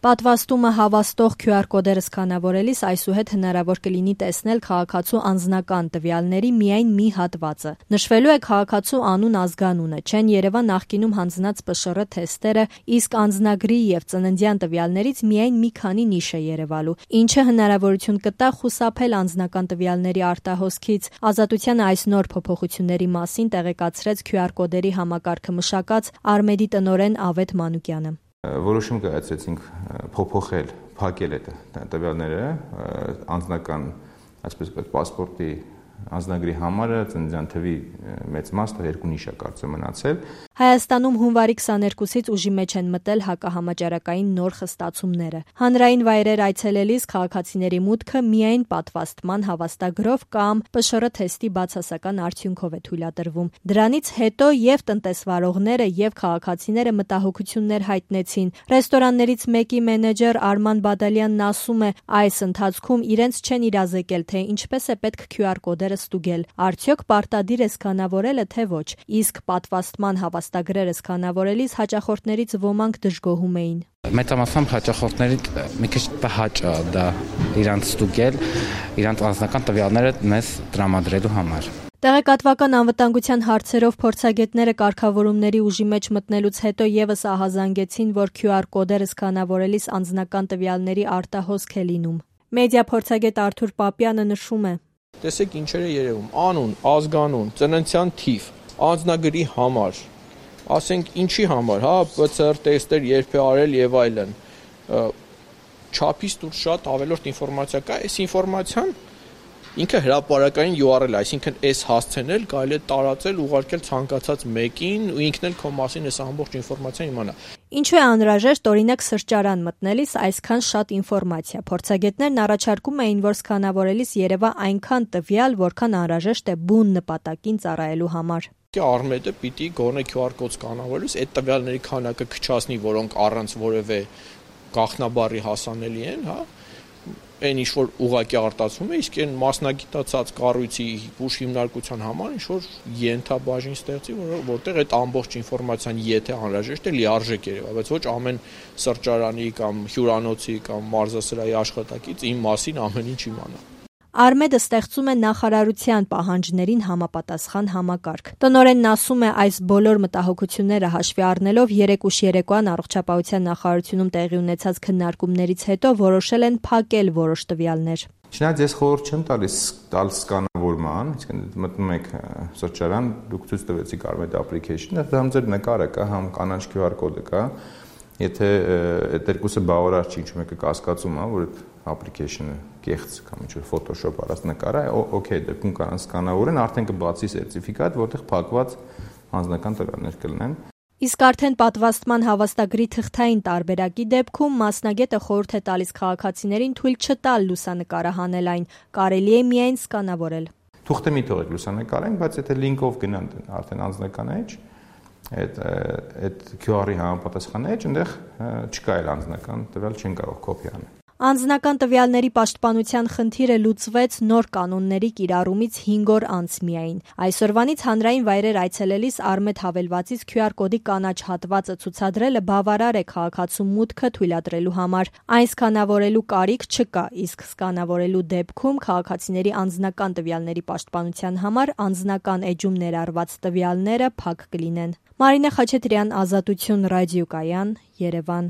Պատվաստումը հավաստող QR կոդերը սկանավորելիս այսուհետ հնարավոր կլինի տեսնել քաղաքացու անձնական տվյալների միայն մի հատվածը։ Նշվելու է քաղաքացու անուն, ազգանունը, չեն երևա նախկինում հանձնած ՊՇՌ թեստերը, իսկ անձնագրի եւ ծննդյան տվյալներից միայն մի քանի նիշ է երևալու, ինչը հնարավորություն կտա խուսափել անձնական տվյալների արտահոսքից։ Ազատությանը այս նոր փոփոխությունների մասին տեղեկացրեց QR կոդերի համակարգը մշակած Արմեդի տնօրեն Ավետ Մանուկյանը։ Որոշում կայացրեցինք փոփոխել, փակել այդ տվյալները, անձնական, այսպես ասած, պասպորտի անձնագրի համարը, ծննդյան թվի մեծ մասը, 2 նիշ է կարծեմ մնացել։ Հայաստանում հունվարի 22-ից ուժի մեջ են մտել հակահամաճարակային նոր խստացումները։ Հանրային վայրեր այցելելիս քաղաքացիների մուտքը միայն պատվաստման հավաստագրով կամ ՊՇՌ թեստի բացասական արդյունքով է թույլատրվում։ Դրանից հետո եւ տնտեսվարողները եւ քաղաքացիները մտահոգություններ հայտնեցին։ Ռեստորաններից մեկի մենեջեր Արման Բադալյանն ասում է, այս ընթացքում իրենց չեն իրազեկել, թե ինչպես է պետք QR կոդերը ստուգել։ Արդյոք պարտադիր է սկանավորելը, թե ոչ։ Իսկ պատվաստման հավաստագրերը սկանավորելիս հաճախորդներից ոմանք դժգոհում էին։ Մեծամասամբ հաճախորդների մի քիչ տհաճ է դա իրանց ստուգել, իրանց անձնական տվյալները մեզ տրամադրելու համար։ Տեղեկատվական անվտանգության հարցերով փորձագետները կարգավորումների ուժի մեջ մտնելուց հետո եւս ահազանգեցին, որ QR կոդերը սկանավորելիս անձնական տվյալների արտահոսք է լինում։ Մեդիա փորձագետ Արթուր Պապյանը նշում է. Տեսեք ինչեր է երևում. անուն, ազգանուն, ծննդյան թիվ, անձնագրի համար, ասենք ինչի համար, հա, PCR տեստեր երբ է արել եւ այլն։ Չափից դուրս շատ ավելորդ ինֆորմացիա կա, այս ինֆորմացիան ինքը հրապարակային URL, այսինքն այս հասցեն էլ կարելի է տարածել, ուղարկել ցանկացած մեկին ու ինքն էլ քո մասին այս ամբողջ ինֆորմացիան իմանա։ Ինչու է անհրաժեշտ օրինակ սրճարան մտնելիս այսքան շատ ինֆորմացիա։ Փորձագետներն առաջարկում էին, որ սկանավորելիս երևա այնքան տվյալ, որքան անհրաժեշտ է բուն նպատակին ծառայելու համար։ Արմեդը պիտի գոնե QR կոդ սկանավորելիս այդ տվյալների քանակը քչացնի, որոնք առանց որևէ գաղտնաբառի հասանելի են, հա։ Այն ինչ որ ուղղակի արտացում է, իսկ այն մասնագիտացած կառույցի ուժ հիմնարկության համար ինչ որ ենթաբաժին ստեղծի, որտեղ այդ ամբողջ ինֆորմացիան եթե անհրաժեշտ է, լիարժեք երևա, բայց ոչ ամեն սրճարանի կամ հյուրանոցի կամ մարզասրահի աշխատակից իմ մասին ամեն ինչ իմանա։ Արմեդը ստեղծում է նախարարության պահանջներին համապատասխան համակարգ։ Տնօրենն ասում է, այս բոլոր մտահոգությունները հաշվի առնելով երեկ ուշ երեկոյան առողջապահության նախարարությունում տեղի ունեցած քննարկումներից հետո որոշել են փակել որոշ տվյալներ։ Չնայած ես խորհուրդ չեմ տալ սկանավորման, այսինքն մտնում եք սրճարան, դուք ցույց տվեցիք Արմեդ application-ը, դրամ ձեր նկարը կա, համ կանաչ QR կոդը կա։ Եթե այդ երկուսը բավարար չի, ինչու մեկը կասկածում է, որ այդ application-ը կեղծ կամ ինչ-որ Photoshop արած նկար է, օքեյ, դեպքում կարող սկանավորեն, արդեն կբացի սերտիֆիկատ, որտեղ փակված անձնական տվյալներ կլինեն։ Իսկ արդեն պատվաստման հավաստագրի թղթային տարբերակի դեպքում մասնագետը խորհուրդ է տալիս քաղաքացիներին թույլ չտալ լուսանկարը հանել այն, կարելի է միայն սկանավորել։ Թուղթե մի թողեք լուսանկարենք, բայց եթե link-ով գնան արդեն անձնական էջ, այդ QR-ի համապատասխան էջ, այնտեղ չկա էլ անձնական տվյալ, չեն կարող կոպի անել։ Անձնական տվյալների պաշտպանության խնդիրը լուծվեց նոր կանոնների կիրառումից 5 օր անց միայն։ Այսօրվանից հանրային վայրեր այցելելիս Արմեդ հավելվածից QR կոդի կանաչ հատվածը ցուցադրելը բավարար է քաղաքացու մուտքը թույլատրելու համար։ Այն սկանավորելու կարիք չկա, իսկ սկանավորելու դեպքում քաղաքացիների անձնական տվյալների պաշտպանության համար անձնական էջում ներառված տվյալները փակ կլինեն։ Մարինե Խաչատրյան, Ազատություն ռադիոկայան, Երևան։